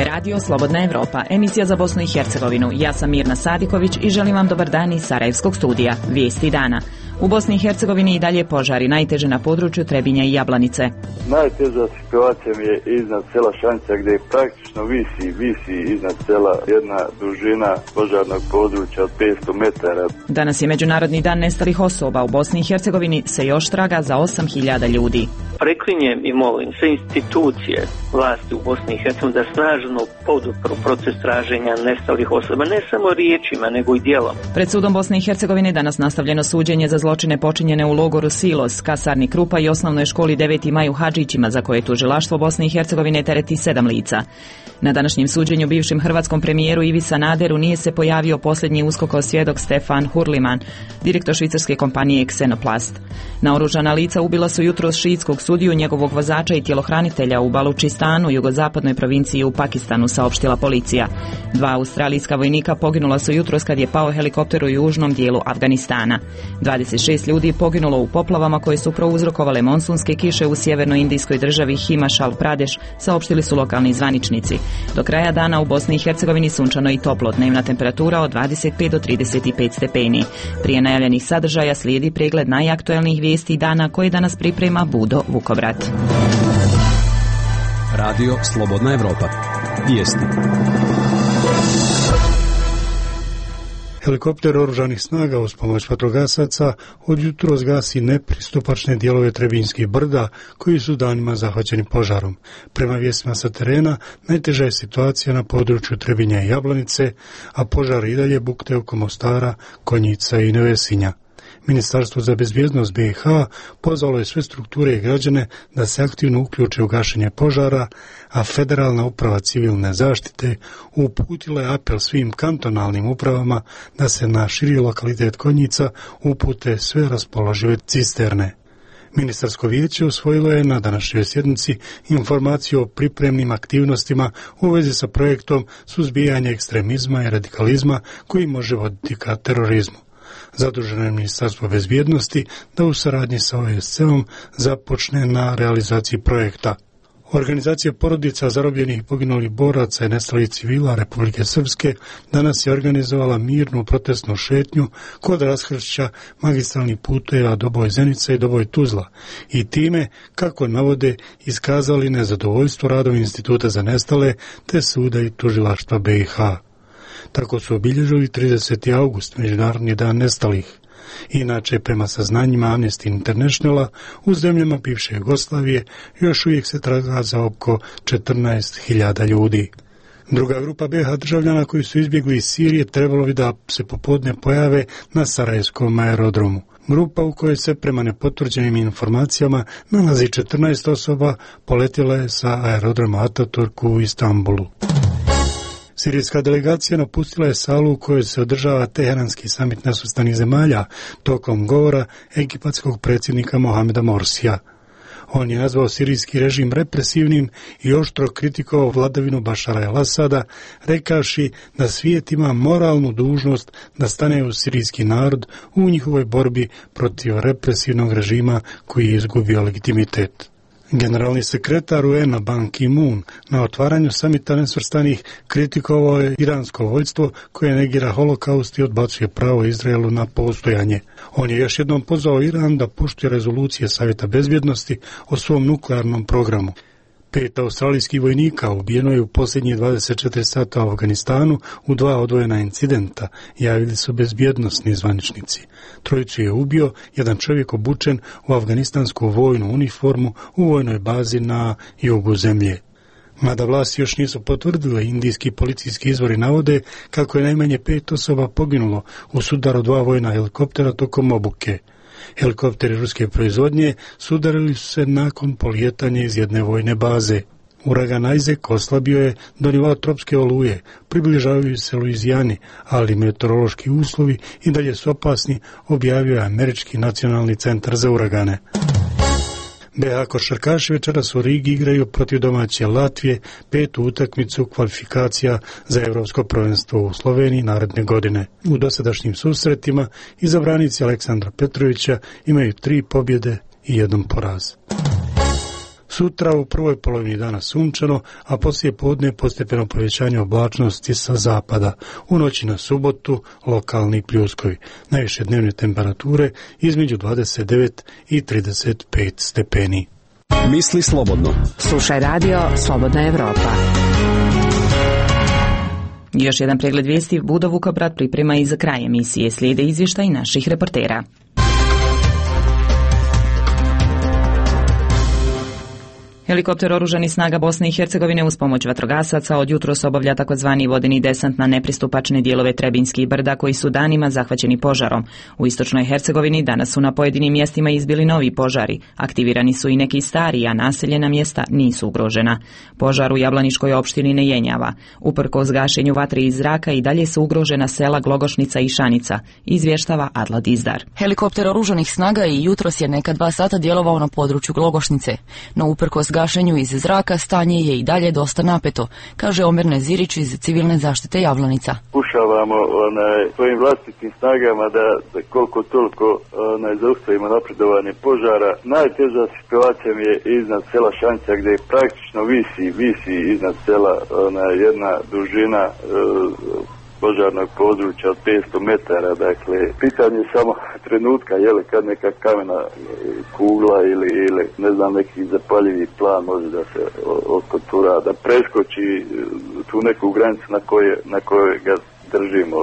Radio Slobodna Evropa, emisija za Bosnu i Hercegovinu. Ja sam Mirna Sadiković i želim vam dobar dan iz Sarajevskog studija. Vijesti dana. U Bosni i Hercegovini i dalje požari, najteže na području Trebinja i Jablanice. Najteža situacija mi je iznad sela Šanjca, gdje praktično visi iznad sela jedna dužina požarnog područja od 500 metara. Danas je Međunarodni dan nestalih osoba. U Bosni i Hercegovini se još traga za 8.000 ljudi. Preklinjem i molim sve institucije vlasti u Bosni i Hercegovini da snažno podupru proces traženja nestalih osoba, ne samo riječima, nego i djelom. Pred sudom Bosne i Hercegovine danas nastavljeno suđenje za zločine počinjene u logoru Silos, kasarni Krupa i osnovnoj školi 9. maj u Hadžićima, za koje tužilaštvo Bosne i Hercegovine tereti 7 lica. Na današnjem suđenju bivšem hrvatskom premijeru Ivi Sanaderu nije se pojavio posljednji USKOK-ov svjedok Stefan Hurliman, direktor švicarske kompanije Xenoplast. Naoružana lica ubila su jutros šiitskog sudiju, njegovog vozača i tjelohranitelja u Balučistanu, jugozapadnoj provinciji u Pakistanu, saopštila policija. 2 australijska vojnika poginula su jutros kad je pao helikopter u južnom dijelu Afganistana. 26 ljudi poginulo u poplavama koje su prouzrokovale monsunske kiše u sjevernoindijskoj državi Himachal Pradesh, saopštili su lokalni zvaničnici. Do kraja dana u Bosni i Hercegovini sunčano i toplo, dnevna temperatura od 25 do 35 stepeni. Prije najavljenih sadržaja slijedi pregled najaktuelnijih vijesti dana koje danas priprema Budo Vukovrat. Radio Slobodna Evropa. Vijesti. Helikopter oružanih snaga uz pomoć vatrogasaca od jutros gasi nepristupačne dijelove Trebinjskih brda koji su danima zahvaćeni požarom. Prema vijestima sa terena, najteža je situacija na području Trebinja i Jablanice, a požar i dalje bukte oko Mostara, Konjica i Nevesinja. Ministarstvo za bezbjednost BiH pozvalo je sve strukture i građane da se aktivno uključe u gašenje požara, a Federalna uprava civilne zaštite uputila je apel svim kantonalnim upravama da se na širi lokalitet Konjica upute sve raspoložive cisterne. Ministarsko vijeće usvojilo je na današnjoj sjednici informaciju o pripremnim aktivnostima u vezi sa projektom suzbijanja ekstremizma i radikalizma koji može voditi ka terorizmu. Zaduženo je Ministarstvo bezbjednosti da u saradnji sa OSCE-om započne na realizaciji projekta. Organizacija porodica zarobljenih i poginulih boraca i nestalih civila Republike Srpske danas je organizovala mirnu protestnu šetnju kod raskršća magistralnih puteva Doboj Zenica i Doboj Tuzla i time, kako navode, iskazali nezadovoljstvo radom Instituta za nestale te suda i tužilaštva BiH. Tako su obilježili 30. august, Međunarodni dan nestalih. Inače, prema saznanjima Amnesty Internationala, u zemljama bivše Jugoslavije još uvijek se traga za oko 14.000 ljudi. Druga grupa BiH državljana koji su izbjegli iz Sirije trebalo bi da se popodne pojave na Sarajevskom aerodromu. Grupa u kojoj se prema nepotvrđenim informacijama nalazi 14 osoba poletjela je sa aerodroma Ataturk u Istanbulu. Sirijska delegacija napustila je salu u kojoj se održava Teheranski samit nesvrstanih zemalja tokom govora egipatskog predsjednika Mohameda Morsija. On je nazvao sirijski režim represivnim i oštro kritikovao vladavinu Bašara el-Asada, rekavši da svijet ima moralnu dužnost da stane uz sirijski narod u njihovoj borbi protiv represivnog režima koji je izgubio legitimitet. Generalni sekretar UN-a Ban Ki-moon na otvaranju samita nesvrstanih kritikovao je iransko vojstvo koje negira holokaust i odbacuje pravo Izraelu na postojanje. On je još jednom pozvao Iran da poštuje rezolucije Savjeta bezbjednosti o svom nuklearnom programu. 5 australijskih vojnika ubijeno je u posljednjih 24 sata u Afganistanu u 2 odvojena incidenta, javili su bezbjednosni zvaničnici. 3 je ubio jedan čovjek obučen u afganistansku vojnu uniformu u vojnoj bazi na jugu zemlje. Mada vlasti još nisu potvrdile, indijski policijski izvori navode kako je najmanje 5 osoba poginulo u sudaru 2 vojna helikoptera tokom obuke. Helikopteri ruske proizvodnje sudarili su se nakon polijetanja iz jedne vojne baze. Uragan Isaac oslabio je do nivoa tropske oluje, približavaju se Luizijani, ali meteorološki uslovi i dalje su opasni, objavio je Američki nacionalni centar za uragane. BiH košarkaši večeras u Rigi igraju protiv domaće Latvije 5. utakmicu kvalifikacija za Europsko prvenstvo u Sloveniji naredne godine. U dosadašnjim susretima izabranici Aleksandra Petrovića imaju 3 pobjede i 1 poraz. Sutra u prvoj polovini dana sunčano, a poslije podne postepeno povećanje oblačnosti sa zapada. U noći na subotu lokalni pljuskovi. Najviše dnevne temperature između 29 i 35 stepeni. Misli slobodno. Slušaj radio Slobodna Evropa. Još jedan pregled vijesti Budo Vukobrad priprema i za kraj emisije. Slijede izvještaj naših reportera. Helikopter oružanih snaga Bosne i Hercegovine uz pomoć vatrogasaca od jutros obavlja takozvani vodeni desant na nepristupačne dijelove Trebinjskih brda koji su danima zahvaćeni požarom. U istočnoj Hercegovini danas su na pojedinim mjestima izbili novi požari. Aktivirani su i neki stari, a naseljena mjesta nisu ugrožena. Požar u Jablaniškoj opštini ne jenjava. Uprkos gašenju vatre iz zraka i dalje su ugrožena sela Glogošnica i Šanica, izvještava Adla Dizdar. Helikopter oružanih snaga i jutros je neka 2 sata djelovao na području Glogošnice, no uprkos gašenju iz zraka stanje je i dalje dosta napeto, kaže Omer Nezirić iz civilne zaštite Javlanica. Pokušavamo svojim vlastitim snagama da koliko toliko zaustavimo napredovanje požara. Najteža situacija mi je iznad sela Šanca gdje praktično visi iznad sela jedna dužina požarnog područja od 500 metara, dakle, pitanje je samo trenutka, kad neka kamena kugla ili ne znam, neki zapaljivi plan može da se otkotura, da preskoči tu neku granicu na kojoj ga držimo,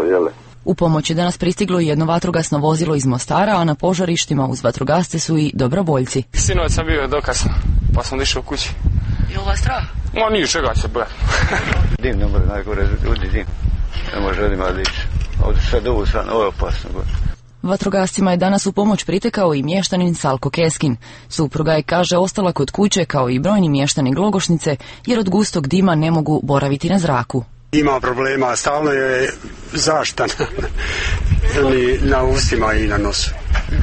U pomoć je danas pristiglo i jedno vatrogasno vozilo iz Mostara, a na požarištima uz vatrogasce su i dobrovoljci. Sinoć sam bio dokasno, pa sam došao kući. Je li vas strah? Nije čega se boja. Dim, ne može najgore ljudi, dim. Ne može ljudima dići. Ovdje sad ovo je opasno. Vatrogascima je danas u pomoć pritekao i mještanin Salko Keskin. Supruga je, kaže, ostala kod kuće kao i brojni mještani Glogošnice jer od gustog dima ne mogu boraviti na zraku. Ima problema, stalno je zaštita na ustima i na nosu.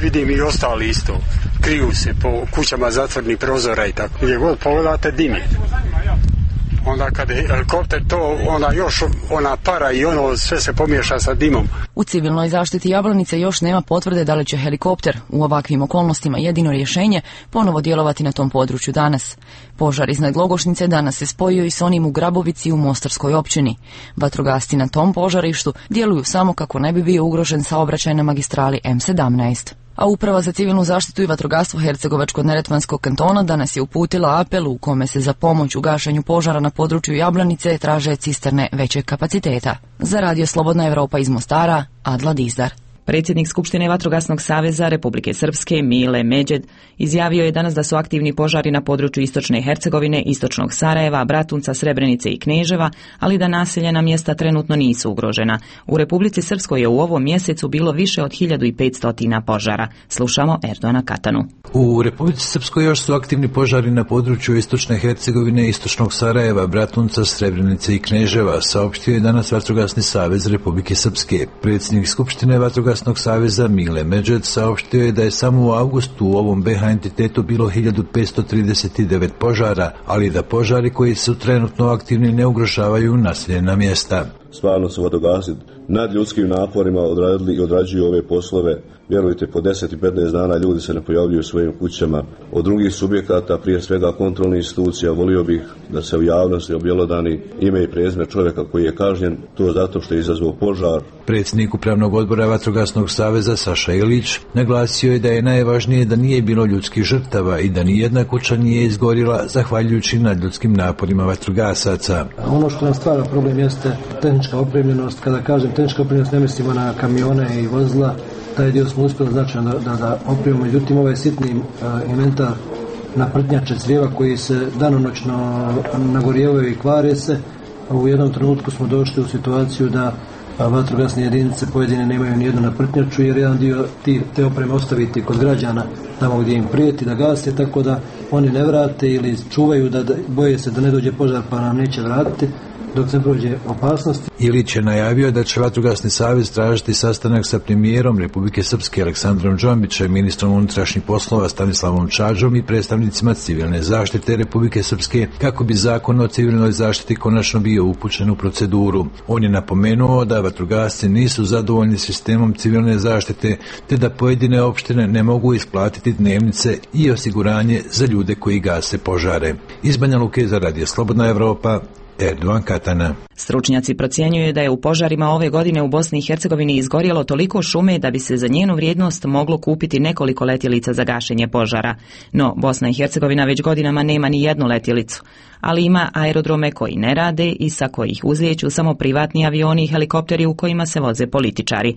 Vidim i ostali isto. Kriju se po kućama zatvornih prozora i tako. Gdje god pogledate dim je. Onda kad je helikopter to, onda još ona para i ono sve se pomiješa sa dimom. U civilnoj zaštiti Jablanice još nema potvrde da li će helikopter u ovakvim okolnostima jedino rješenje ponovo djelovati na tom području danas. Požar iznad Glogošnice danas se spojio i s onim u Grabovici u Mostarskoj općini. Vatrogasci na tom požarištu djeluju samo kako ne bi bio ugrožen saobraćaj na magistrali M17. A Uprava za civilnu zaštitu i vatrogastvo Hercegovačko-neretvanskog kantona danas je uputila apel u kome se za pomoć u gašenju požara na području Jablanice traže cisterne većeg kapaciteta. Za Radio Slobodna Evropa iz Mostara, Adla Dizdar. Predsjednik Skupštine Vatrogasnog saveza Republike Srpske Mile Međed izjavio je danas da su aktivni požari na području istočne Hercegovine, istočnog Sarajeva, Bratunca, Srebrenice i Kneževa, ali da naseljena mjesta trenutno nisu ugrožena. U Republici Srpskoj je u ovom mjesecu bilo više od 1500 požara. Slušamo Erdona Katanu. U Republici Srpskoj još su aktivni požari na području istočne Hercegovine, istočnog Sarajeva, Bratunca, Srebrenice i Kneževa, saopštio je danas Vatrogasni savez Republike Srpske. Predsjednik Skupštine Vatrogasnog saveza Mile Međed saopštio je da je samo u avgustu u ovom BH entitetu bilo 1539 požara, ali da požari koji su trenutno aktivni ne ugrožavaju naseljena mjesta. Stvarno su vatrogasci nad ljudskim naporima odradili i odrađuju ove poslove. Vjerujte, po 10 i 15 dana ljudi se ne pojavljuju u svojim kućama. Od drugih subjekata, prije svega kontrolnih institucija, volio bih da se u javnosti objelodani ime i prezime čovjeka koji je kažnjen, to zato što je izazvao požar. Predsjednik Upravnog odbora Vatrogasnog saveza Saša Ilić naglasio je da je najvažnije da nije bilo ljudskih žrtava i da nijedna kuća nije izgorila zahvaljujući nadljudskim naporima vatrogasaca. Ono što nam stvara problem jeste tehnička opremljenost. Kada kažem tehnička opremljenost, ne mislimo na kamione i vozila. Taj dio smo uspjeli značajno da opremimo. Međutim, ovaj sitni inventar naprtnjače crijeva koji se danonoćno nagorijevaju i kvare se. U jednom trenutku smo došli u situaciju da vatrogasne jedinice pojedine nemaju nijednu naprtnjaču jer jedan dio te opreme ostaviti kod građana tamo gdje im prijeti da gase, tako da oni ne vrate ili čuvaju da boje se da ne dođe požar pa nam neće vratiti dok se prođe opasnost. Ilić je najavio da će Vatrogasni savez tražiti sastanak sa premijerom Republike Srpske Aleksandrom Džombićem, ministrom unutrašnjih poslova Stanislavom Čađom i predstavnicima civilne zaštite Republike Srpske kako bi zakon o civilnoj zaštiti konačno bio upućen u proceduru. On je napomenuo da vatrogasci nisu zadovoljni sistemom civilne zaštite te da pojedine opštine ne mogu isplatiti isplatiti dnevnice i osiguranje za ljude koji gase požare. Iz Banja Luke za Radio Slobodna Evropa, Erdovan Katana. Stručnjaci procjenjuju da je u požarima ove godine u Bosni i Hercegovini izgorjelo toliko šume da bi se za njenu vrijednost moglo kupiti nekoliko letjelica za gašenje požara. No, Bosna i Hercegovina već godinama nema ni jednu letjelicu, ali ima aerodrome koji ne rade i sa kojih uzlijeću samo privatni avioni i helikopteri u kojima se voze političari.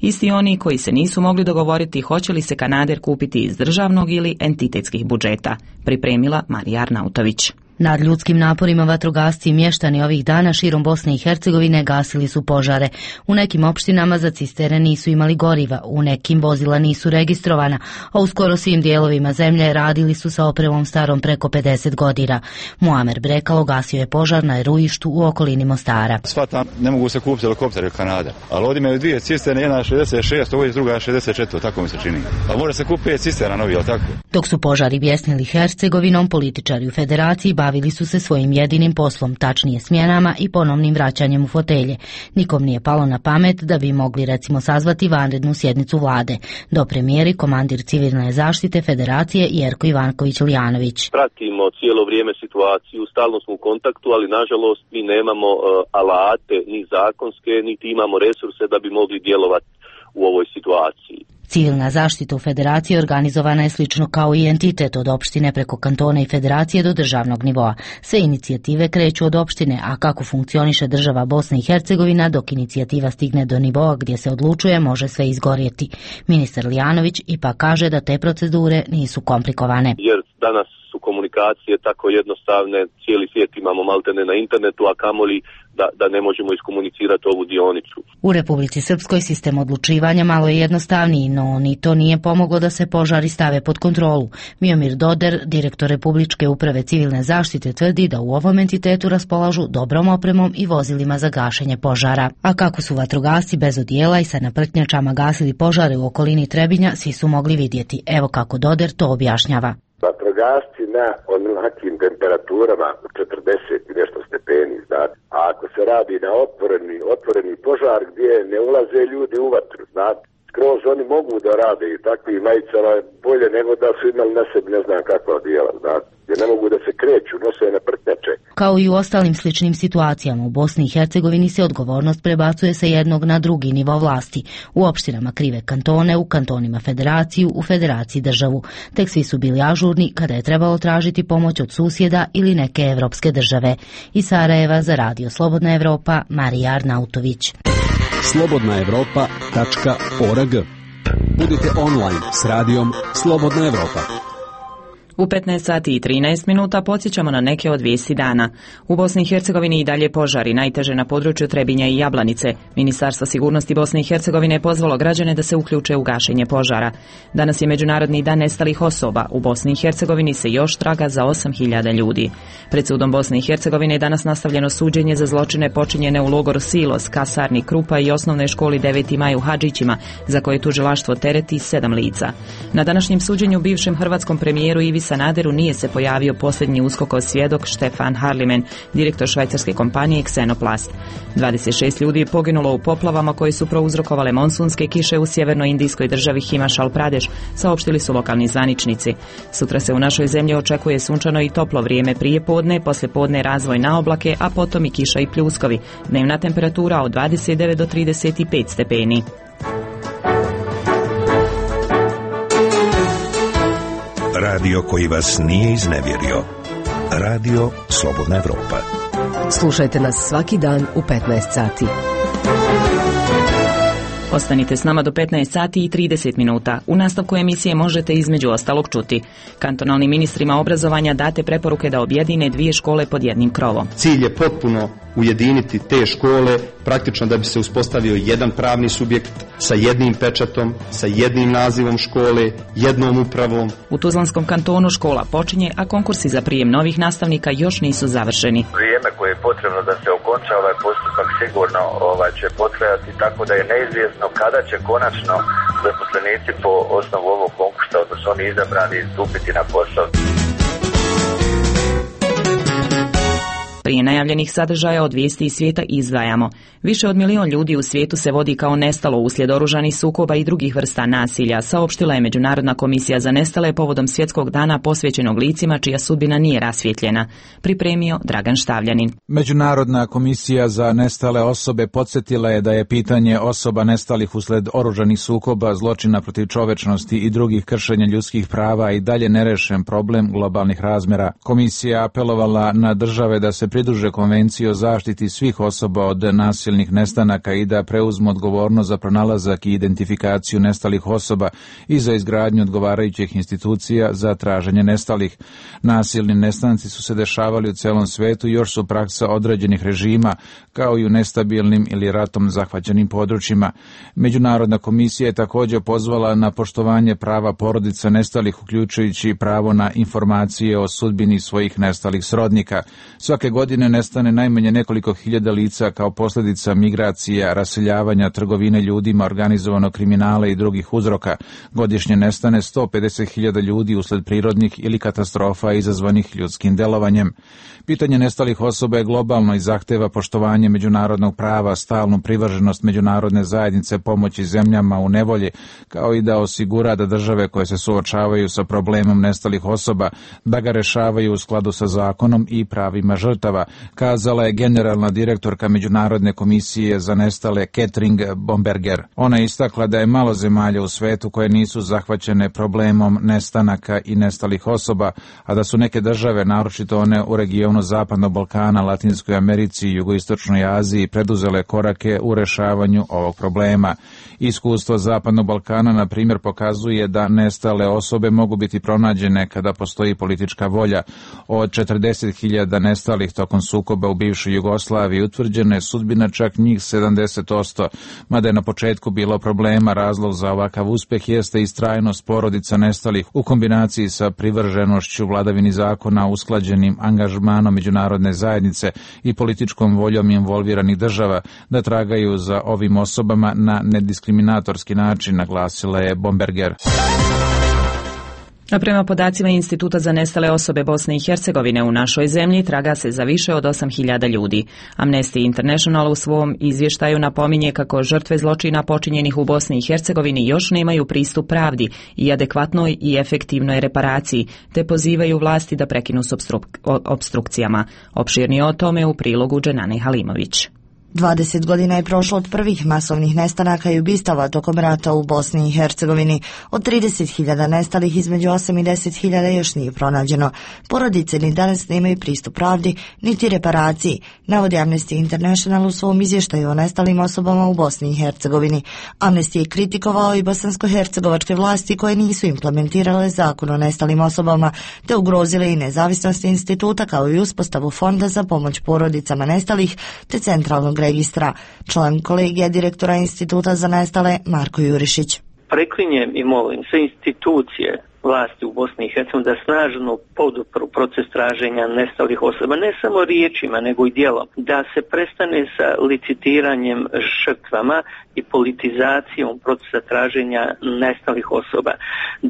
Isti oni koji se nisu mogli dogovoriti hoće li se Kanader kupiti iz državnog ili entitetskih budžeta, pripremila Marija Arnautović. Nad ljudskim naporima vatrogasci i mještani ovih dana širom Bosne i Hercegovine gasili su požare. U nekim opštinama za cisterne nisu imali goriva, u nekim vozila nisu registrovana, a u skoro svim dijelovima zemlje radili su sa opremom starom preko 50 godina. Muamer Brekalo gasio je požar na eruištu u okolini Mostara. Shvatam, ne mogu se kupiti helikopteri u Kanada, ali ovdje imaju dvije cisterne, jedna 66, ovo je druga 64, tako mi se čini. A može se kupiti 5 cisterna novi, ali tako? Dok su požari bjesnili Hercegovinom, političari u federaciji bavili su se svojim jedinim poslom, tačnije smjenama i ponovnim vraćanjem u fotelje. Nikom nije palo na pamet da bi mogli recimo sazvati vanrednu sjednicu vlade. Do premijeri komandir civilne zaštite federacije Jerko Ivanković-Lijanović. Pratimo cijelo vrijeme situaciju, stalno smo u kontaktu, ali nažalost mi nemamo alate ni zakonske, niti imamo resurse da bi mogli djelovati u ovoj situaciji. Civilna zaštita u federaciji organizovana je slično kao i entitet od opštine preko kantona i federacije do državnog nivoa. Sve inicijative kreću od opštine, a kako funkcioniše država Bosna i Hercegovina, dok inicijativa stigne do nivoa gdje se odlučuje, može sve izgorjeti. Ministar Lijanović ipak kaže da te procedure nisu komplikovane. Jer danas su komunikacije tako jednostavne, cijeli svijet imamo maltene na internetu, a kamoli da ne možemo iskomunicirati ovu dionicu. U Republici Srpskoj sistem odlučivanja malo je jednostavniji, no ni to nije pomoglo da se požari stave pod kontrolu. Miomir Doder, direktor Republičke uprave civilne zaštite, tvrdi da u ovom entitetu raspolažu dobrom opremom i vozilima za gašenje požara. A kako su vatrogasci bez odijela i sa naprtnjačama gasili požare u okolini Trebinja, svi su mogli vidjeti. Evo kako Doder to objašnjava. Vatrogasci na onakim temperaturama 40 i nešto stepeni, znate. A ako se radi na otvoreni požar gdje ne ulaze ljudi u vatru, znate. Skroz oni mogu da rade i takvim majicama bolje nego da su imali na sebi ne znam kakva odijela, znate. Gdje ne mogu da se kreću, nose na prtnjače. Kao i u ostalim sličnim situacijama, u Bosni i Hercegovini se odgovornost prebacuje sa jednog na drugi nivo vlasti. U opštinama krive kantone, u kantonima federaciju, u federaciji državu. Tek svi su bili ažurni kada je trebalo tražiti pomoć od susjeda ili neke evropske države. Iz Sarajeva za Radio Slobodna Evropa, Marija Arnautović. slobodnaevropa.org. Budite online s radijom Slobodna Evropa. U 15 sati i 13 minuta podsjećamo na neke od vijesti dana. U Bosni i Hercegovini i dalje požari, najteže na području Trebinja i Jablanice. Ministarstvo sigurnosti Bosne i Hercegovine je pozvalo građane da se uključe u gašenje požara. Danas je Međunarodni dan nestalih osoba. U Bosni i Hercegovini se još traga za 8.000 ljudi. Pred sudom Bosne i Hercegovine je danas nastavljeno suđenje za zločine počinjene u logoru Silos, kasarni Krupa i osnovnoj školi 9. maj u Hadžićima, za koje tužilaštvo tereti 7 lica. Na današnjem suđenju bivšem hrvatskom premijeru Ivi Sanaderu nije se pojavio posljednji USKOK-ov svjedok Štefan Harlimen, direktor švajcarske kompanije Xenoplast. 26 ljudi je poginulo u poplavama koje su prouzrokovale monsunske kiše u sjevernoindijskoj državi Himachal Pradesh, saopštili su lokalni zvaničnici. Sutra se u našoj zemlji očekuje sunčano i toplo vrijeme prije podne, poslije podne razvoj na oblake, a potom i kiša i pljuskovi. Dnevna temperatura od 29 do 35 stepeni. Radio koji vas nije iznevjerio. Radio Slobodna Evropa. Slušajte nas svaki dan u 15 sati. Ostanite s nama do 15 sati i 30 minuta. U nastavku emisije možete između ostalog čuti. Kantonalnim ministrima obrazovanja date preporuke da objedine 2 škole pod jednim krovom. Cilj je potpuno ujediniti te škole, praktično da bi se uspostavio jedan pravni subjekt sa jednim pečatom, sa jednim nazivom škole, jednom upravom. U Tuzlanskom kantonu škola počinje, a konkursi za prijem novih nastavnika još nisu završeni. Vrijeme koje je potrebno da se okonča ovaj postupak sigurno će potrajati, tako da je neizvjesno kada će konačno zaposlenici po osnovu ovog konkursa, odnosno oni izabrani, stupiti na posao. Prije najavljenih sadržaja od vijesti iz svijeta izdvajamo. Više od 1 milion ljudi u svijetu se vodi kao nestalo uslijed oružanih sukoba i drugih vrsta nasilja, saopštila je Međunarodna komisija za nestale povodom svjetskog dana posvećenog licima čija sudbina nije rasvjetljena. Pripremio Dragan Štavljanin. Međunarodna komisija za nestale osobe podsjetila je da je pitanje osoba nestalih usled oružanih sukoba, zločina protiv čovečnosti i drugih kršenja ljudskih prava i dalje nerešen problem globalnih razmjera. Komisija apelovala na države da se pridruže konvenciji o zaštiti svih osoba od nasilnih nestanaka i da preuzmu odgovornost za pronalazak i identifikaciju nestalih osoba i za izgradnju odgovarajućih institucija za traženje nestalih. Nasilni nestanci su se dešavali u celom svetu i još su praksa određenih režima, kao i u nestabilnim ili ratom zahvaćenim područjima. Međunarodna komisija je također pozvala na poštovanje prava porodica nestalih, uključujući pravo na informacije o sudbini svojih nestalih srodnika. Svake godine nestane najmanje nekoliko hiljada lica kao posljedica migracija, raseljavanja, trgovine ljudima, organizovanog kriminala i drugih uzroka. Godišnje nestane 150.000 ljudi usled prirodnih ili katastrofa izazvanih ljudskim delovanjem. Pitanje nestalih osoba je globalno i zahteva poštovanje međunarodnog prava, stalnu privrženost međunarodne zajednice pomoći zemljama u nevolji, kao i da osigura da države koje se suočavaju sa problemom nestalih osoba, da ga rešavaju u skladu sa zakonom i pravima žrtava, kazala je generalna direktorka Međunarodne komisije za nestale Catherine Bomberger. Ona je istakla da je malo zemalja u svetu koje nisu zahvaćene problemom nestanaka i nestalih osoba, a da su neke države, naročito one u regionu Zapadnog Balkana, Latinskoj Americi i Jugoistočnoj Aziji, preduzele korake u rešavanju ovog problema. Iskustvo Zapadnog Balkana, na primjer, pokazuje da nestale osobe mogu biti pronađene kada postoji politička volja. Od 40.000 nestalih tokom sukoba u bivšoj Jugoslaviji utvrđena je sudbina čak njih 70%, mada je na početku bilo problema. Razlog za ovakav uspjeh jeste istrajnost porodica nestalih u kombinaciji sa privrženošću vladavini zakona, usklađenim angažmanom međunarodne zajednice i političkom voljom involviranih država da tragaju za ovim osobama na nediskriminatorski način, naglasila je Bomberger. A prema podacima Instituta za nestale osobe Bosne i Hercegovine, u našoj zemlji traga se za više od 8.000 ljudi. Amnesty International u svom izvještaju napominje kako žrtve zločina počinjenih u Bosni i Hercegovini još nemaju pristup pravdi i adekvatnoj i efektivnoj reparaciji, te pozivaju vlasti da prekinu s opstrukcijama. Opširnije o tome u prilogu Dženane Halimović. 20 godina je prošlo od prvih masovnih nestanaka i ubistava tokom rata u Bosni i Hercegovini. Od 30.000 nestalih između 8 i 10.000 još nije pronađeno. Porodice ni danas nemaju pristup pravdi, niti reparaciji, navodi Amnesty International u svom izvještaju o nestalim osobama u Bosni i Hercegovini. Amnesty je kritikovao i bosansko-hercegovačke vlasti koje nisu implementirale zakon o nestalim osobama, te ugrozile i nezavisnost instituta kao i uspostavu fonda za pomoć porodicama nestalih, te centralnog registra. Član kolegija direktora Instituta za nestale Marko Jurišić. Preklinjem i molim sve institucije vlasti u Bosni i Hercegovini da snažno podupru proces traženja nestalih osoba, ne samo riječima nego i djelom, da se prestane sa licitiranjem žrtvama i politizacijom procesa traženja nestalih osoba,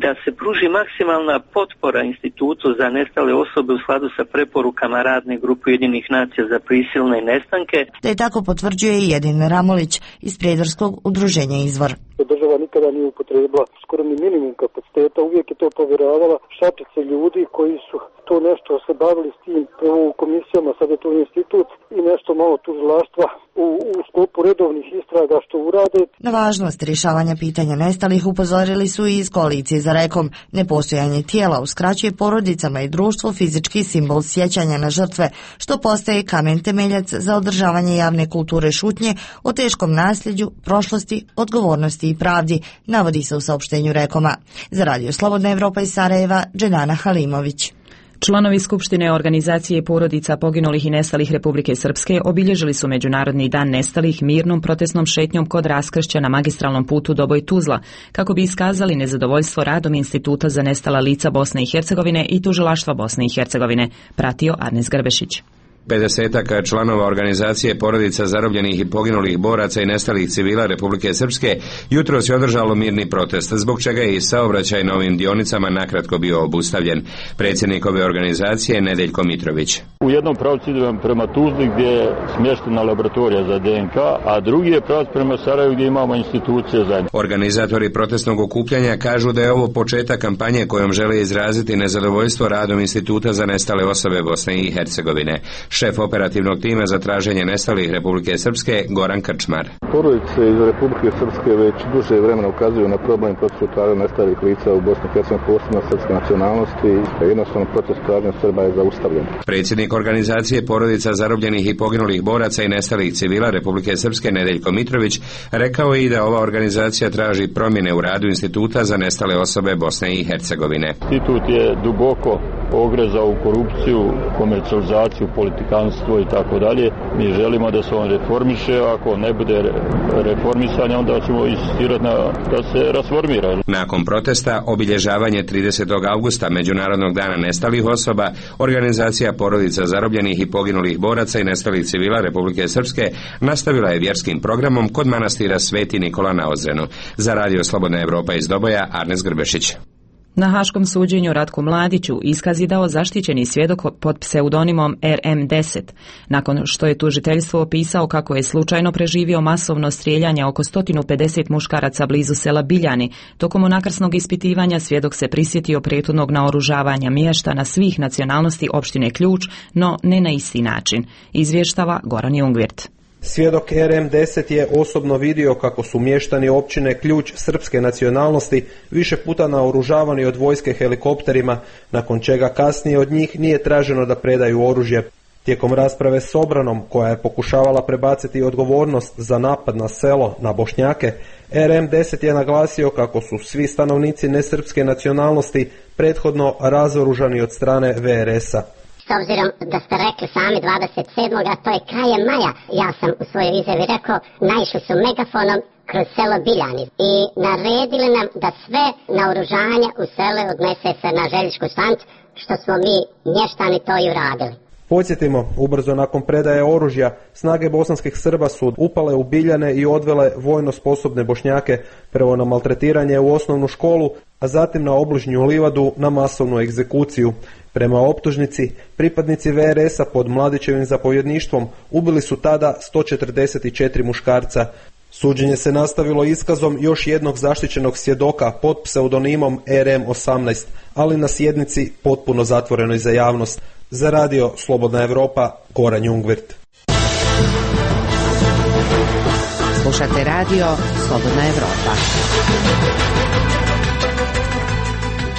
da se pruži maksimalna potpora Institutu za nestale osobe u skladu sa preporukama radne grupe Ujedinjenih nacija za prisilne nestanke. Da je tako potvrđuje i Jedin Ramolić iz Prijedorskog udruženja Izvor. Država nikada nije upotrebila skoro ni minimum kapaciteta, uvijek je to povjeravala šačice ljudi koji su to nešto se bavili s tim u komisijama, sad je to institut i nešto malo tužilaštva u sklopu redovnih istraga što urade. Na važnost rješavanja pitanja nestalih upozorili su i iz koalicije za Rekom. Nepostojanje tijela uskraćuje porodicama i društvu fizički simbol sjećanja na žrtve, što postaje kamen temeljac za održavanje javne kulture šutnje o teškom nasljeđu, prošlosti, odgovornosti i pravdi, navodi se u saopštenju Rekoma. Za Radio Slobodna Evropa iz Sarajeva, Dženana Halimović. Članovi Skupštine organizacije porodica poginulih i nestalih Republike Srpske obilježili su Međunarodni dan nestalih mirnom protestnom šetnjom kod raskršća na magistralnom putu Doboj-Tuzla, kako bi iskazali nezadovoljstvo radom Instituta za nestala lica Bosne i Hercegovine i Tužilaštva Bosne i Hercegovine, pratio Arnes Grbešić. 50-ak članova organizacije porodica zarobljenih i poginulih boraca i nestalih civila Republike Srpske jutros je održalo mirni protest, zbog čega je i saobraćaj na ovim dionicama nakratko bio obustavljen. Predsjednik ove organizacije Nedeljko Mitrović. U jednom pravcu idem prema Tuzli gdje je smještena laboratorija za DNK, a drugi je pravac prema Sarajevu gdje imamo institucije za. Organizatori protestnog okupljanja kažu da je ovo početak kampanje kojom žele izraziti nezadovoljstvo radom Instituta za nestale osobe Bosne i Hercegovine. Šef operativnog tima za traženje nestalih Republike Srpske Goran Krčmar. Porodice iz Republike Srpske već duže vremena ukazuju na problem procesu traženja nestalih lica u Bosni i Hercegovini, posebno srpske nacionalnosti. Jednostavno proces traženja Srba je zaustavljen. Predsjednik organizacije porodica zarobljenih i poginulih boraca i nestalih civila Republike Srpske Nedeljko Mitrović rekao je i da ova organizacija traži promjene u radu Instituta za nestale osobe Bosne i Hercegovine. Institut je duboko ogrezao u korupciju, komercijalizaciju, politikanstvo i tako dalje. Mi želimo da se on reformiše, ako ne bude reformisanja, onda ćemo insistirati da se rasformira. Nakon protesta, obilježavanje 30. augusta Međunarodnog dana nestalih osoba, organizacija porodica zarobljenih i poginulih boraca i nestalih civila Republike Srpske nastavila je vjerskim programom kod manastira Sveti Nikola na Ozrenu. Za Radio Slobodna Evropa iz Doboja, Arnes Grbešić. Na haškom suđenju Ratku Mladiću iskaz je dao zaštićeni svjedok pod pseudonimom RM10, nakon što je tužiteljstvo opisao kako je slučajno preživio masovno strijeljanje oko 150 muškaraca blizu sela Biljani. Tokom unakrsnog ispitivanja svjedok se prisjetio prethodnog naoružavanja mještana svih nacionalnosti opštine Ključ, no ne na isti način, izvještava Goran Jungvirt. Svjedok RM10 je osobno vidio kako su mještani općine Ključ srpske nacionalnosti više puta naoružavani od vojske helikopterima, nakon čega kasnije od njih nije traženo da predaju oružje. Tijekom rasprave s obranom, koja je pokušavala prebaciti odgovornost za napad na selo na Bošnjake, RM10 je naglasio kako su svi stanovnici nesrpske nacionalnosti prethodno razoružani od strane VRS-a. S obzirom da ste rekli sami 27. a to je krajem maja, ja sam u svojoj izjavi rekao, naišli su megafonom kroz selo Biljani i naredili nam da sve naoružanje u sele odnese se na željezničku stanicu, što smo mi mještani to i uradili. Podsjetimo, ubrzo nakon predaje oružja, snage bosanskih Srba su upale u Biljane i odvele vojno sposobne Bošnjake prvo na maltretiranje u osnovnu školu, a zatim na obližnju livadu na masovnu egzekuciju. Prema optužnici, pripadnici VRS-a pod Mladićevim zapovjedništvom ubili su tada 144 muškarca. Suđenje se nastavilo iskazom još jednog zaštićenog svjedoka pod pseudonimom RM18, ali na sjednici potpuno zatvorenoj za javnost. Za Radio Slobodna Evropa, Goran Jungvirt. Slušate Radio Slobodna Evropa.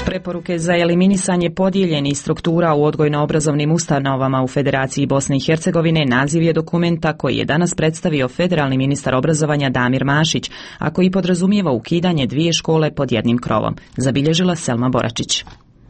Preporuke za eliminisanje podijeljenih struktura u odgojno-obrazovnim ustanovama u Federaciji Bosne i Hercegovine naziv je dokumenta koji je danas predstavio federalni ministar obrazovanja Damir Mašić, a koji podrazumijeva ukidanje 2 škole pod jednim krovom, zabilježila Selma Boračić.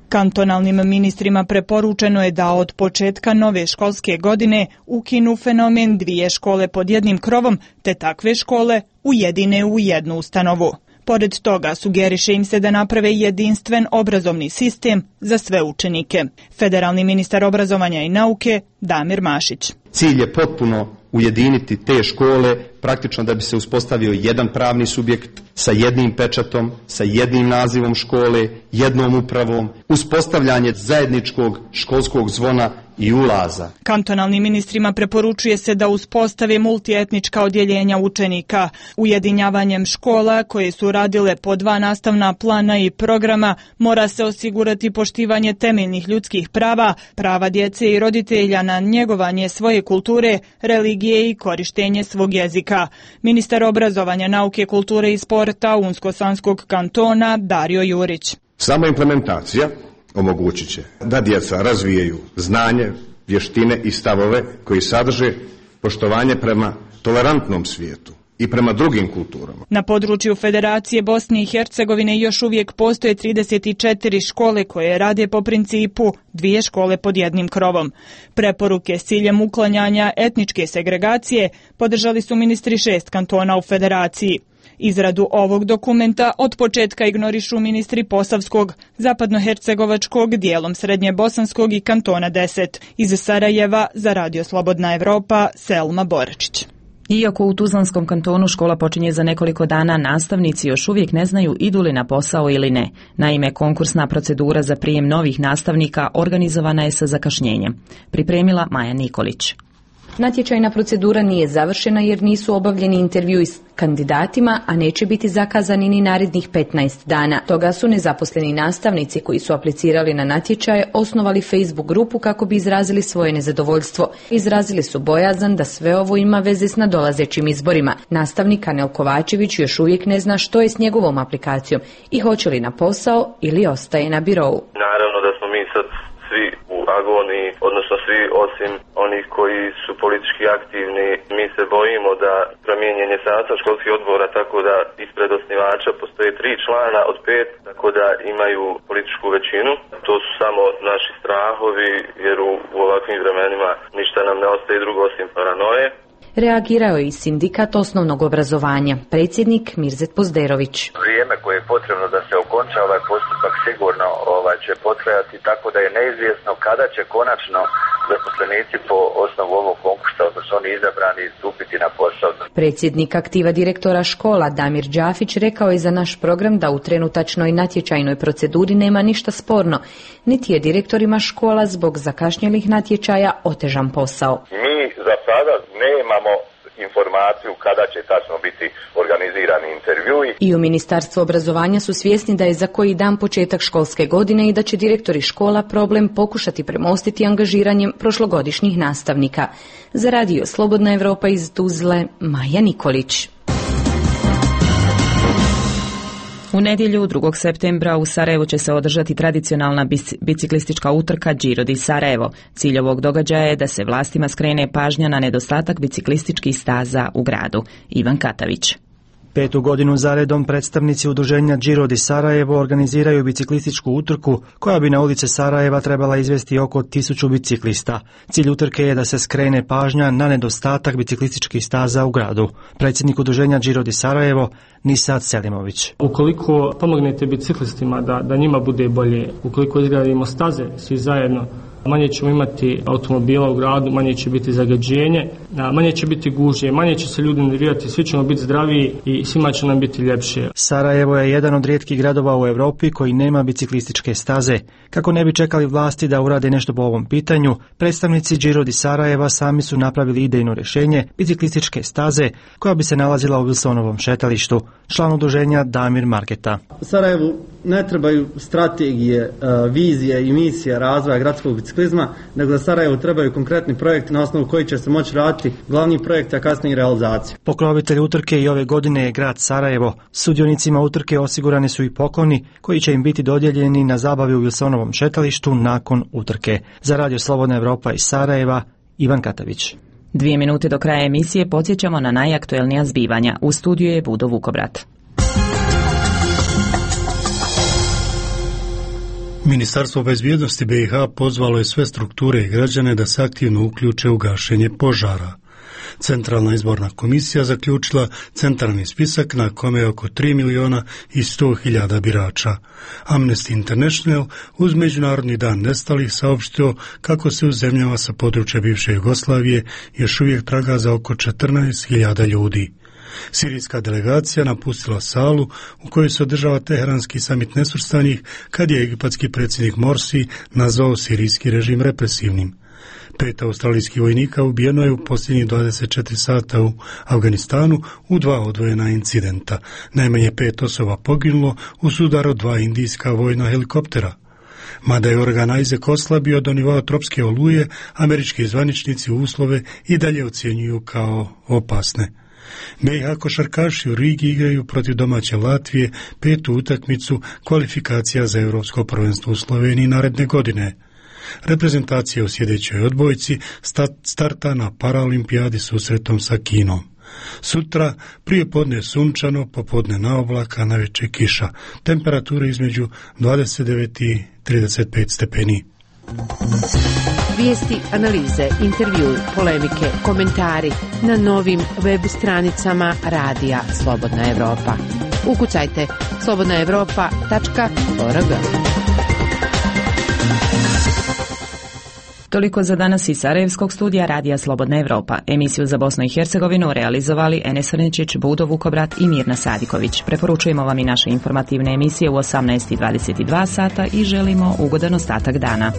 Kantonalnim ministrima preporučeno je da od početka nove školske godine ukinu fenomen 2 škole pod jednim krovom, te takve škole ujedine u jednu ustanovu. Pored toga sugeriše im se da naprave jedinstven obrazovni sistem za sve učenike. Federalni ministar obrazovanja i nauke Damir Mašić. Cilj je potpuno ujediniti te škole, praktično da bi se uspostavio jedan pravni subjekt sa jednim pečatom, sa jednim nazivom škole, jednom upravom, uspostavljanje zajedničkog školskog zvona i ulaza. Kantonalnim ministrima preporučuje se da uspostave multietnička odjeljenja učenika. Ujedinjavanjem škola koje su radile po 2 nastavna plana i programa mora se osigurati poštivanje temeljnih ljudskih prava, prava djece i roditelja na njegovanje svoje kulture, religije i korištenje svog jezika. Ministar obrazovanja, nauke, kulture i sporta Unsko-Sanskog kantona Dario Jurić. Sama implementacija omogućit će da djeca razvijaju znanje, vještine i stavove koji sadrže poštovanje prema tolerantnom svijetu i prema drugim kulturama. Na području Federacije Bosne i Hercegovine još uvijek postoje 34 škole koje rade po principu 2 škole pod jednim krovom. Preporuke s ciljem uklanjanja etničke segregacije podržali su ministri 6 kantona u Federaciji. Izradu ovog dokumenta od početka ignorišu ministri Posavskog, Zapadnohercegovačkog, dijelom Srednje Bosanskog i Kantona 10. Iz Sarajeva za Radio Slobodna Evropa, Selma Boračić. Iako u Tuzlanskom kantonu škola počinje za nekoliko dana, nastavnici još uvijek ne znaju idu li na posao ili ne. Naime, konkursna procedura za prijem novih nastavnika organizovana je sa zakašnjenjem. Pripremila Maja Nikolić. Natječajna procedura nije završena jer nisu obavljeni intervjui s kandidatima, a neće biti zakazani ni narednih 15 dana. Toga su nezaposleni nastavnici koji su aplicirali na natječaje osnovali Facebook grupu kako bi izrazili svoje nezadovoljstvo. Izrazili su bojazan da sve ovo ima veze s nadolazećim izborima. Nastavnik Anel Kovačević još uvijek ne zna što je s njegovom aplikacijom i hoće li na posao ili ostaje na birovu. Naravno da smo mi sad svi u agoniji, odnosno svi osim onih koji su politički aktivni. Mi se bojimo da promijenjen je sastav školskih odbora tako da ispred osnivača postoje 3 člana od 5, tako da imaju političku većinu. To su samo naši strahovi jer u ovakvim vremenima ništa nam ne ostaje drugo osim paranoje. Reagirao je i sindikat osnovnog obrazovanja, predsjednik Mirzet Pozderović. Vrijeme koje je potrebno da se okonča ovaj postupak sigurno će potrajati, tako da je neizvjesno kada će konačno zaposlenici po osnovu ovog konkursa, odnosno oni izabrani, stupiti na posao. Predsjednik aktiva direktora škola Damir Đafić rekao je za naš program da u trenutačnoj natječajnoj proceduri nema ništa sporno, niti je direktorima škola zbog zakašnjelih natječaja otežan posao. Mi za sada nemamo informaciju kada će tačno biti organizirani intervjui. I u Ministarstvu obrazovanja su svjesni da je za koji dan početak školske godine i da će direktori škola problem pokušati premostiti angažiranjem prošlogodišnjih nastavnika. Za Radio Slobodna Evropa iz Tuzle, Maja Nikolić. U nedjelju 2. septembra u Sarajevu će se održati tradicionalna biciklistička utrka Giro di Sarajevo. Cilj ovog događaja je da se vlastima skrene pažnja na nedostatak biciklističkih staza u gradu. Ivan Katavić. 5. godinu zaredom predstavnici udruženja Giro di Sarajevo organiziraju biciklističku utrku koja bi na ulice Sarajeva trebala izvesti oko 1000 biciklista. Cilj utrke je da se skrene pažnja na nedostatak biciklističkih staza u gradu. Predsjednik udruženja Giro di Sarajevo Nisad Selimović. Ukoliko pomognete biciklistima da njima bude bolje, ukoliko izgradimo staze svi zajedno, manje ćemo imati automobila u gradu, manje će biti zagađenje, manje će biti gužve, manje će se ljudi nervirati, svi ćemo biti zdraviji i svima će nam biti ljepše. Sarajevo je jedan od rijetkih gradova u Europi koji nema biciklističke staze. Kako ne bi čekali vlasti da urade nešto po ovom pitanju, predstavnici Giro di Sarajeva sami su napravili idejno rješenje biciklističke staze koja bi se nalazila u Wilsonovom šetalištu. Član udruženja Damir Marketa. Sarajevu ne trebaju strategije, vizije i misije razvoja gradskog biciklizma, nego za Sarajevo trebaju konkretni projekti na osnovu koji će se moći raditi glavni projekt, a kasnije realizaciju. Pokrovitelj utrke i ove godine je grad Sarajevo. Sudionicima utrke osigurani su i pokloni koji će im biti dodijeljeni na zabavi u Wilsonovom šetalištu nakon utrke. Za Radio Slobodna Evropa iz Sarajeva, Ivan Katavić. 2 minute do kraja emisije podsjećamo na najaktuelnija zbivanja. U studiju je Budo Vukobrat. Ministarstvo bezbjednosti BiH pozvalo je sve strukture i građane da se aktivno uključe u gašenje požara. Centralna izborna komisija zaključila centralni spisak na kome je oko 3.100.000 birača. Amnesty International uz Međunarodni dan nestalih saopštio kako se u zemljama sa područja bivše Jugoslavije još uvijek traga za oko 14.000 ljudi. Sirijska delegacija napustila salu u kojoj se održava Teheranski samit nesvrstanih kad je egipatski predsjednik Morsi nazvao sirijski režim represivnim. 5 australijskih vojnika ubijeno je u posljednjih 24 sata u Afganistanu u 2 odvojena incidenta. Najmanje 5 osoba poginulo u sudaru 2 indijska vojna helikoptera. Mada je organ Isaac oslabio do nivoa tropske oluje, američki zvaničnici uslove i dalje ocjenjuju kao opasne. BiH košarkaši u Rigi igraju protiv domaće Latvije 5. utakmicu kvalifikacija za Europsko prvenstvo u Sloveniji naredne godine. Reprezentacija u sljedećoj odbojci starta na Paralimpijadi susretom sa Kinom. Sutra prije podne sunčano, popodne na oblaka, navečer kiša. Temperature između 29 i 35 stepeni. Vijesti, analize, intervjui, polemike, komentari na novim web stranicama Radija Slobodna Evropa. Ukucajte slobodnaevropa.org. Toliko za danas iz Sarajevskog studija Radija Slobodna Evropa. Emisiju za Bosnu i Hercegovinu realizovali Enes Vrničić, Budo Vukobrat i Mirna Sadiković. Preporučujemo vam i naše informativne emisije u 18:22 sata i želimo ugodan ostatak dana.